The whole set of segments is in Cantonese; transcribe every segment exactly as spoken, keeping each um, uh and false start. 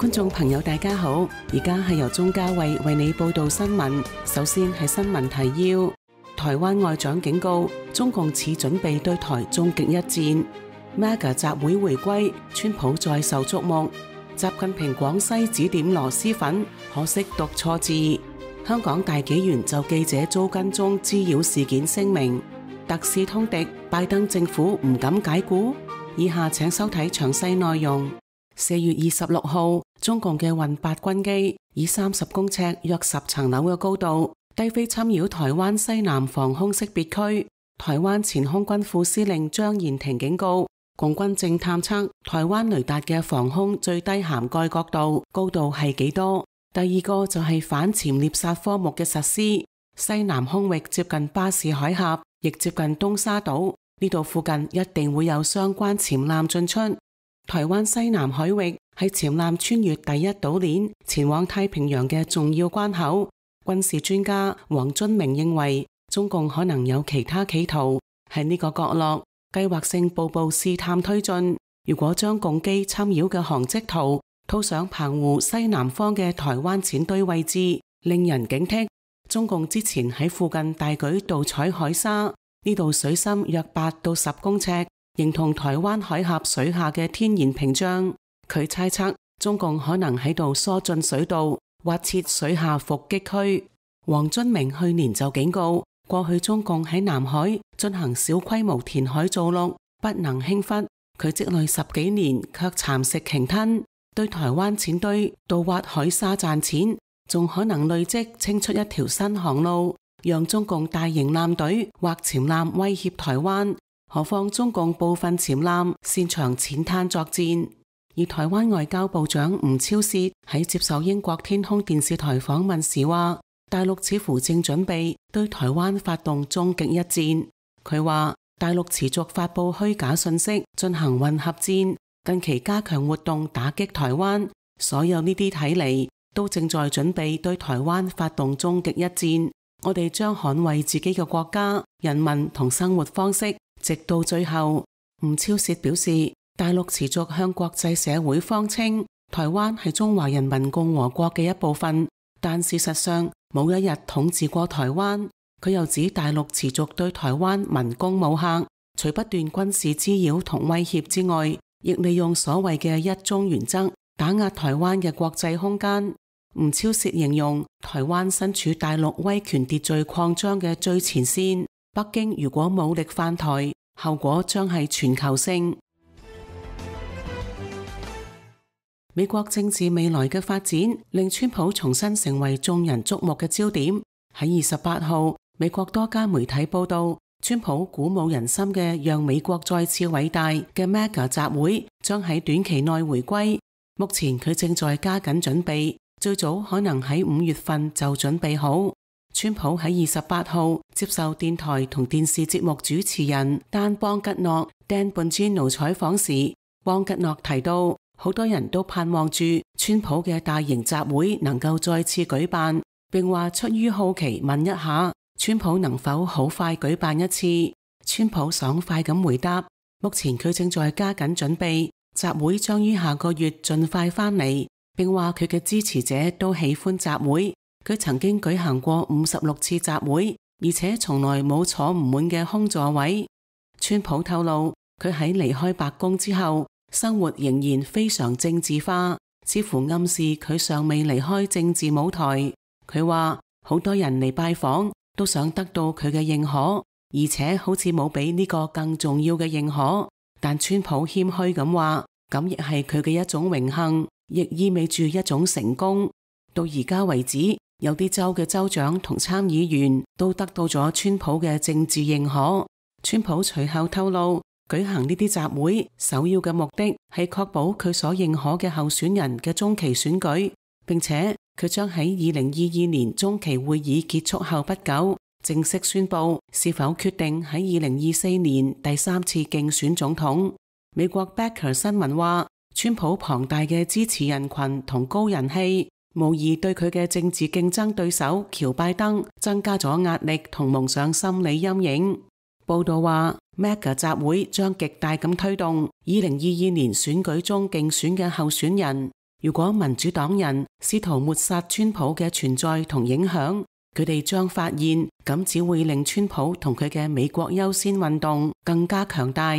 觀眾朋友大家好，而家係由鍾嘉慧為你報道新聞。首先係新聞提要：台灣外長警告，中共似準備對台終極一戰。M A G A 集會回歸，川普再受矚目。習近平廣西指點螺螄粉，可惜讀錯字。香港大紀元就記者遭跟蹤滋擾事件聲明，特使通敵，拜登政府唔敢解僱。以下請收睇詳細內容。四月二十六號，中共嘅運八軍機以三十公尺約十層樓嘅高度低飛侵擾台灣西南防空識別區。台灣前空軍副司令張延廷警告，共軍正探測台灣雷達嘅防空最低涵蓋角度高度係幾多。第二個就係反潛獵殺科目嘅實施。西南空域接近巴士海峽，亦接近東沙島，呢度附近一定會有相關潛艦進出。台灣西南海域係潛艦穿越第一島鏈前往太平洋嘅重要關口。軍事專家黃津明認為，中共可能有其他企圖，喺呢個角落計劃性步步試探推進。如果將共機侵擾嘅航跡圖套上澎湖西南方嘅台灣淺堆位置，令人警惕。中共之前喺附近大舉盜採海沙，呢度水深約八到十公尺，形同台灣海峽水下嘅天然屏障。佢猜測中共可能喺度疏浚水道，挖設水下伏擊區。黃津明去年就警告，過去中共喺南海進行小規模填海造陸，不能輕忽。佢積累十幾年，卻蠶食鯨吞，對台灣淺堆盜挖海沙賺錢，仲可能累積清出一條新航路，讓中共大型艦隊或潛艦威脅台灣。何況中共部分潛艦擅長淺灘作戰。而台灣外交部長吳釗燮喺接受英國天空電視台訪問時話，大陸似乎正準備對台灣發動終極一戰。佢話大陸持續發佈虛假信息，進行混合戰，近期加強活動打擊台灣，所有呢啲睇嚟都正在準備對台灣發動終極一戰。我哋將捍衛自己嘅國家、人民同生活方式，直到最後。吳釗燮表示，大陸持續向國際社會謊稱台灣係中華人民共和國嘅一部分，但事實上冇一日統治過台灣。佢又指大陸持續對台灣文攻武嚇，除不斷軍事滋擾同威脅之外，亦利用所謂嘅一中原則打壓台灣嘅國際空間。吳釗燮形容台灣身處大陸威權秩序擴張嘅最前線，北京如果武力犯台，後果將係全球性。美國政治未來嘅發展令川普重新成為眾人矚目嘅焦點。喺二十八號，美國多家媒體報道，川普鼓舞人心嘅讓美國再次偉大嘅 M A G A 集會將喺短期內回歸。目前佢正在加緊準備，最早可能喺五月份就準備好。川普喺二十八號接受電台同電視節目主持人丹邦吉諾 Dan Bongino 採訪時，邦吉諾提到，好多人都盼望住川普嘅大型集會能夠再次舉辦，並話出於好奇問一下，川普能否好快舉辦一次。川普爽快咁回答，目前佢正在加緊準備，集會將於下個月盡快返嚟，並話佢嘅支持者都喜歡集會。佢曾經舉行過五十六次集會，而且從來冇坐唔滿嘅空座位。川普透露，佢喺離開白宮之後，生活仍然非常政治化，似乎暗示佢尚未離開政治舞台。佢話好多人嚟拜訪都想得到佢嘅認可，而且好似冇比呢個更重要嘅認可。但川普謙虛咁話，咁亦係佢嘅一種榮幸，亦意味住一種成功。到而家為止，有啲州嘅州長同參議員都得到咗川普嘅政治認可。川普隨後透露，舉行呢啲集會首要嘅目的係確保佢所認可嘅候選人嘅中期選舉，並且佢將喺二零二二年中期會議結束後不久正式宣布是否決定喺二零二四年第三次競選總統。美國 Backer 新聞話，川普龐大嘅支持人群同高人氣無疑對佢嘅政治競爭對手喬拜登增加咗壓力同蒙上心理陰影。報道話 M A G A 集會將極大咁推動二零二二年選舉中競選嘅候選人。如果民主黨人試圖抹殺川普嘅存在同影響，佢哋將發現咁只會令川普同佢嘅美國優先運動更加強大。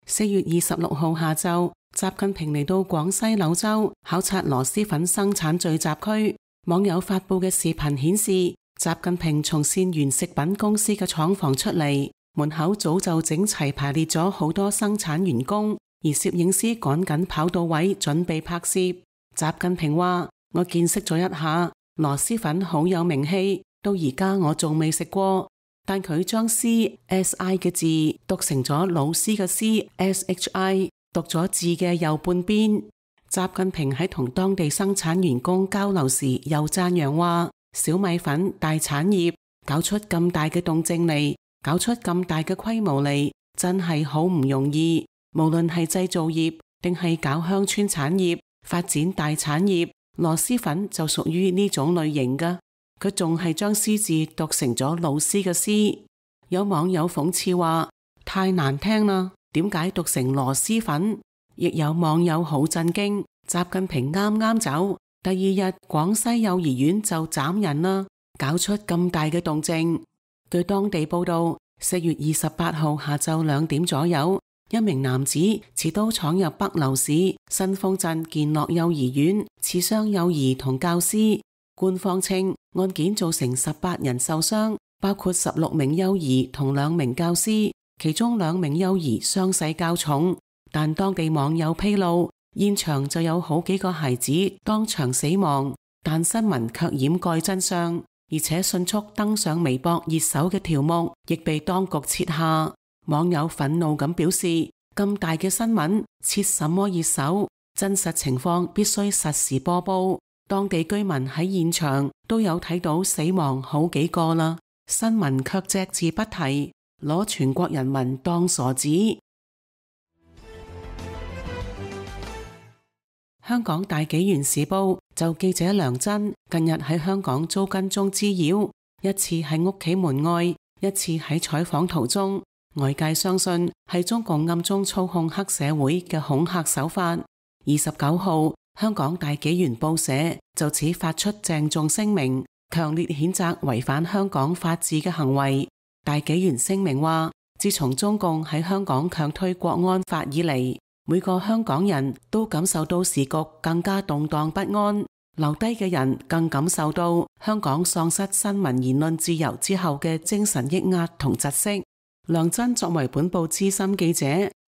四月二十六號下晝，習近平嚟到廣西柳州考察螺螄粉生產聚集區。網友發布嘅視頻顯示，習近平從善源食品公司嘅廠房出嚟，門口早就整齊排列咗好多生產員工，而攝影師趕緊跑到位準備拍攝。習近平話：我見識咗一下，螺螄粉好有名氣，到而家我仲未食過。但佢將 C S I 嘅字讀成咗老師嘅 C S H I， 讀咗字嘅右半邊。習近平喺同當地生產員工交流時又讚揚話：小米粉大產業，搞出咁大嘅動靜嚟，搞出咁大嘅規模嚟，真係好唔容易。無論係製造業定係搞鄉村產業，發展大產業，螺螄粉就屬於呢種類型㗎。佢仲係將師字讀成咗老師嘅師。有網友諷刺話：太難聽啦，點解讀成螺螄粉？亦有網友好震驚，習近平啱啱走，第二日廣西幼兒園就斬人啦，搞出咁大嘅動靜。據當地報道，四月二十八號下晝兩點左右，一名男子持刀闖入北流市新豐鎮健樂幼兒園，刺傷幼兒同教師。官方稱案件造成十八人受傷，包括十六名幼兒同兩名教師，其中兩名幼兒傷勢較重。但當地網友披露，現場就有好幾個孩子當場死亡，但新聞卻掩蓋真相，而且迅速登上微博熱搜嘅條目亦被當局撤下。網友憤怒咁表示：咁大嘅新聞，設什麼熱搜？真實情況必須實時播報。當地居民喺現場都有睇到死亡好幾個啦，新聞卻隻字不提，攞全國人民當傻子。香港大紀元時報就記者梁真近日喺香港遭跟蹤滋擾，一次喺屋企門外，一次喺採訪途中，外界相信係中共暗中操控黑社會嘅恐嚇手法。二十九號，香港大紀元報社就此發出鄭重聲明，強烈譴責違反香港法治嘅行為。大紀元聲明話，自從中共喺香港強推國安法以嚟，每個香港人都感受到時局更加動盪不安，留低嘅人更感受到香港喪失新聞言論自由之後嘅精神抑壓同窒息。梁真作為本報資深記者，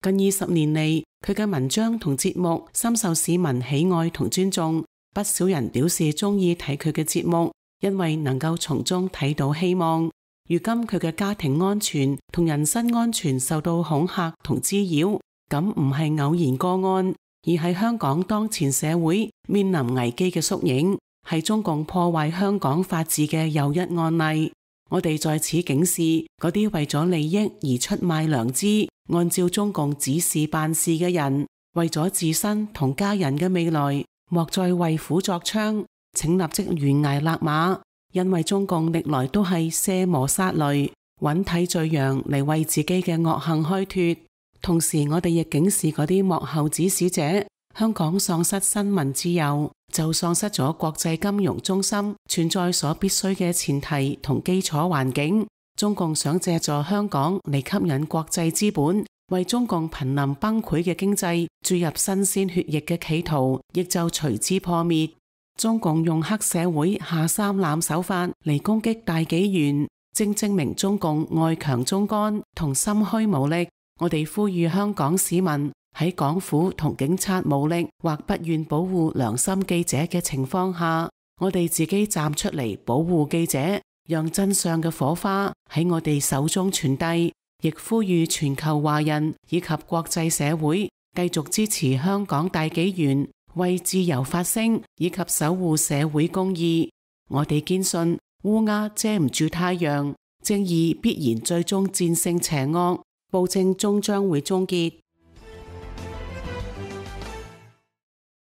近二十年嚟，佢嘅文章同節目深受市民喜愛同尊重，不少人表示中意睇佢嘅節目，因為能夠從中睇到希望。如今佢嘅家庭安全同人身安全受到恐嚇同滋擾，咁唔係偶然個案，而係香港當前社會面臨危機嘅縮影，係中共破壞香港法治嘅又一案例。我哋在此警示嗰啲為咗利益而出賣良知，按照中共指示辦事嘅人，為咗自身同家人嘅未來，莫再為虎作倀，請立即懸崖勒馬，因為中共歷來都係卸磨殺驢，揾替罪羊嚟為自己嘅惡行開脫。同時，我哋亦警示嗰啲幕後指使者，香港喪失新聞自由，就喪失咗國際金融中心存在所必須嘅前提同基礎環境。中共想借助香港嚟吸引國際資本，為中共瀕臨崩潰嘅經濟注入新鮮血液嘅企圖，亦就隨之破滅。中共用黑社會下三濫手法嚟攻擊大紀元，正證明中共外強中乾同心虛無力。我哋呼籲香港市民喺港府同警察無力或不願保護良心記者嘅情況下，我哋自己站出嚟保護記者，讓真相嘅火花喺我哋手中傳遞。亦呼籲全球華人以及國際社會繼續支持香港大紀元，為自由發聲以及守護社會公義。我哋堅信烏鴉遮唔住太陽，正義必然最終戰勝邪惡，暴政終將會終結。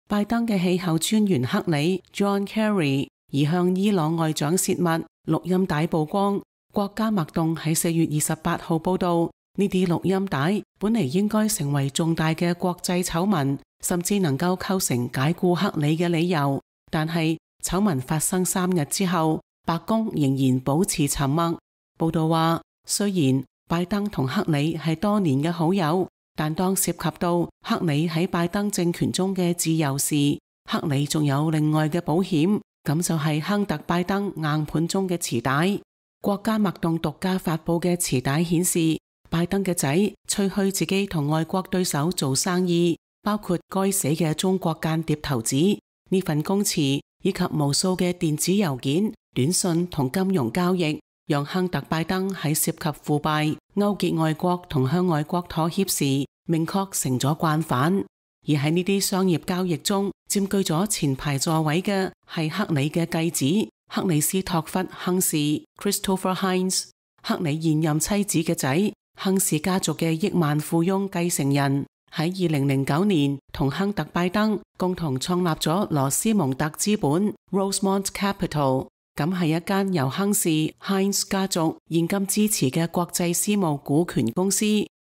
拜登嘅氣候專員克里 John Kerry 而向伊朗外長洩密錄音帶曝光。國家脈動喺四月二十八號報道，呢啲錄音帶本嚟應該成為重大嘅國際醜聞，甚至能夠構成解僱克里嘅理由。但係醜聞發生三日之後，白宮仍然保持沉默。報道話，雖然拜登同克里係多年嘅好友，但當涉及到克里喺拜登政權中嘅自由時，克里仲有另外嘅保險，咁就係亨特拜登硬盤中嘅臍帶。國家脈動獨家發佈嘅臍帶顯示，拜登嘅仔吹噓自己同外國對手做生意，包括該死嘅中國間諜頭子。呢份供詞以及無數嘅電子郵件、短信同金融交易，讓亨特拜登喺涉及腐敗、勾結外國同向外國妥協時，明確成咗慣犯。而喺呢啲商業交易中，佔據咗前排座位嘅係克里嘅繼子克里斯托弗亨氏 （Christopher Heinz），克里現任妻子嘅仔，亨氏家族嘅億萬富翁繼承人，喺二零零九年同亨特拜登共同創立咗羅斯蒙特資本 （Rosemont Capital），咁係一間由亨氏 （Heinz） 家族現金支持嘅國際私募股權公司。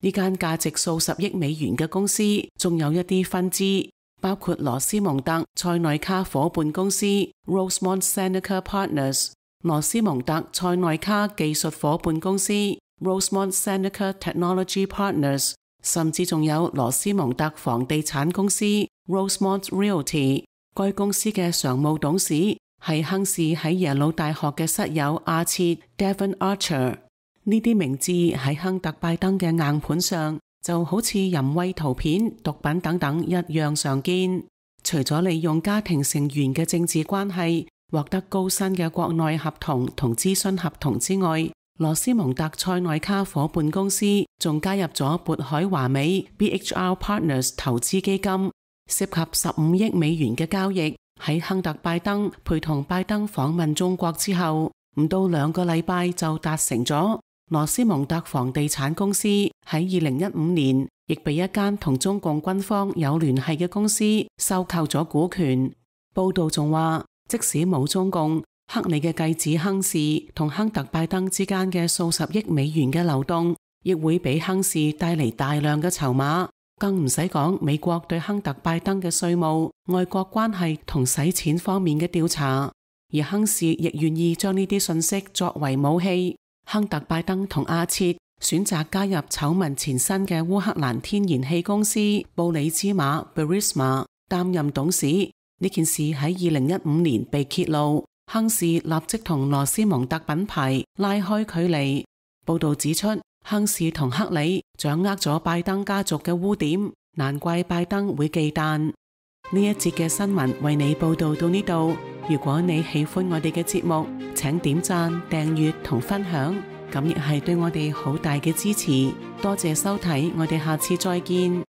呢間價值數十億美元嘅公司，仲有一啲分支，包括羅斯蒙特塞內卡伙伴公司 Rosemont Seneca Partners、羅斯蒙特塞內卡技術伙伴公司 Rosemont Seneca Technology Partners， 甚至仲有羅斯蒙特房地產公司 Rosemont Realty。該公司嘅常務董事係亨氏喺耶魯大學嘅室友阿切 Devon Archer。呢啲名字喺亨特拜登嘅硬盤上就好似淫穢圖片、毒品等等一樣常見。除咗利用家庭成員嘅政治關係獲得高薪嘅國內合同同諮詢合同之外，羅斯蒙特塞內卡伙伴公司仲加入咗渤海華美 B H R Partners 投資基金，涉及十五億美元嘅交易。喺亨特拜登陪同拜登訪問中國之後，唔到兩個禮拜就達成咗。羅斯蒙特房地產公司喺二零一五年亦被一間同中共軍方有聯繫嘅公司收購咗股權。報道仲話，即使冇中共，克里嘅繼子亨氏同亨特拜登之間嘅數十億美元嘅流動，亦會俾亨氏帶嚟大量嘅籌碼。更唔使講美國對亨特拜登嘅稅務、外國關係同洗錢方面嘅調查，而亨氏亦願意將呢啲信息作為武器。亨特拜登同阿切選擇加入醜聞纏身嘅烏克蘭天然氣公司布里茲馬 Burisma 擔任董事。呢件事喺二零一五年被揭露，亨氏立即同羅斯蒙特品牌拉開距離。報道指出，亨氏同克里掌握咗拜登家族嘅污點，難怪拜登會忌憚。呢一節嘅新聞為你報道到呢度。如果你喜歡我哋嘅節目，請點讚、訂閱同分享，咁亦係對我哋好大嘅支持。多謝收睇，我哋下次再見。